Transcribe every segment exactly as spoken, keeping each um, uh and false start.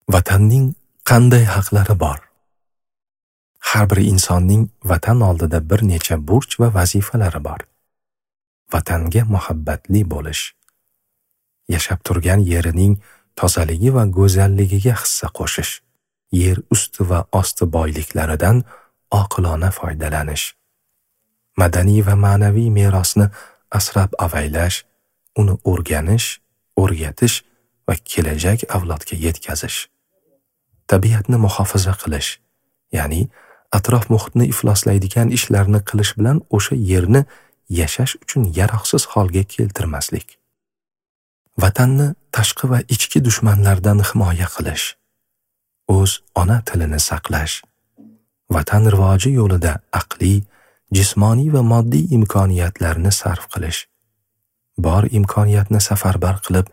Vatanning qanday haqlari bor? Har bir insonning vatan oldida bir necha burch va vazifalari bor. Vatanga muhabbatli bo'lish, yashab turgan yerining tozaligi va go'zalligiga hissa qo'shish, yer usti va osti boyliklaridan oqilona foydalanish, madaniy va ma'naviy merosni asrab avaylash, uni o'rganish, o'rgatish va kelajak avlodga yetkazish, tabiatni muhofaza qilish, ya'ni atrof muhitni ifloslaydigan ishlarni qilish bilan o'sha yerni yashash uchun yaroqsiz holga keltirmaslik, vatanni tashqi va ichki dushmanlardan himoya qilish, o'z ona tilini saqlash, vatan rivoji yo'lida aqliy, jismoniy va moddiy imkoniyatlarni sarf qilish, bor imkoniyatni safarbar qilib,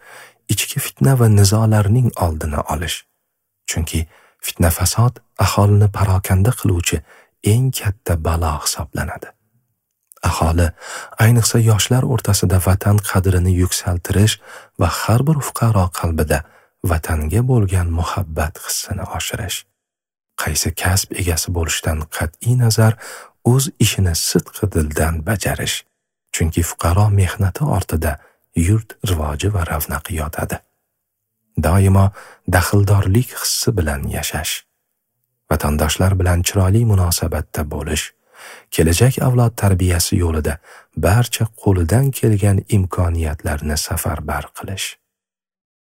ichki fitna va nizolarning oldini olish. Chunki fitna fasod aholini parokanda qiluvchi eng katta balo hisoblanadi. Aholi, ayniqsa yoshlar o'rtasida vatan qadrini yuksaltirish va har bir fuqaro qalbida vatanga bo'lgan muhabbat hissini oshirish. Qaysi kasb egasi bo'lishdan qat'iy nazar o'z ishini sidqi dildan bajarish. Chunki fuqaro mehnati ortida yurt rivoji va ravnaqi yotadi. Doimo daxldorlik hissi bilan yashash, vatandoshlar bilan chiroyli munosabatda bo'lish, kelajak avlod tarbiyasi yo'lida barcha qo'lidan kelgan imkoniyatlarni safarbar qilish.